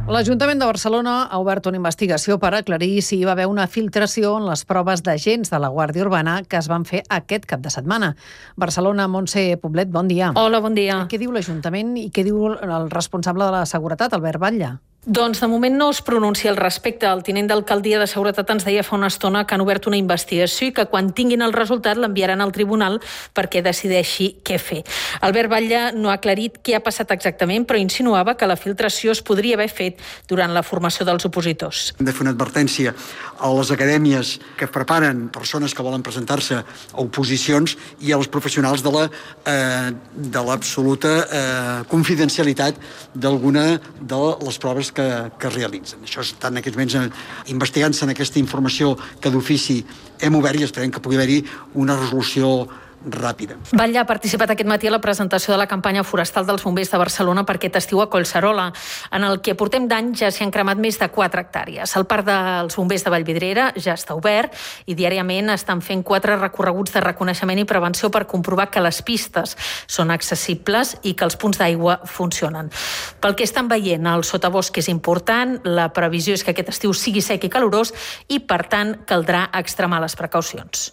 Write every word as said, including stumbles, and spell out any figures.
L'Ajuntament de Barcelona ha obert una investigació per aclarir si hi va haver una filtració en les proves d'agents de la Guàrdia Urbana que es van fer aquest cap de setmana. Barcelona, Montse Poblet, bon dia. Hola, bon dia. Què diu l'Ajuntament i què diu el responsable de la seguretat, Albert Batlle? Doncs de moment no es pronuncia al respecte. El tinent d'alcaldia de Seguretat ens deia fa una estona que han obert una investigació i que quan tinguin el resultat l'enviaran al tribunal perquè decideixi què fer. Albert Batlle no ha aclarit què ha passat exactament, però insinuava que la filtració es podria haver fet durant la formació dels opositors. Hem de fer una advertència a les acadèmies que preparen persones que volen presentar-se a oposicions i als professionals de la, eh, de l'absoluta eh, confidencialitat d'alguna de les proves que, que es realitzen. Això està en aquests moments investigant-se en aquesta informació que d'ofici hem obert i esperem que pugui haver-hi una resolució ràpida. Batlle ha participat aquest matí a la presentació de la campanya forestal dels bombers de Barcelona per aquest estiu a Collserola. En el que portem d'any ja s'hi han cremat més de quatre hectàrees. El parc dels bombers de Vallvidrera ja està obert i diàriament estan fent quatre recorreguts de reconeixement i prevenció per comprovar que les pistes són accessibles i que els punts d'aigua funcionen. Pel que estan veient, el sotabosc és important, la previsió és que aquest estiu sigui sec i calorós i, per tant, caldrà extremar les precaucions.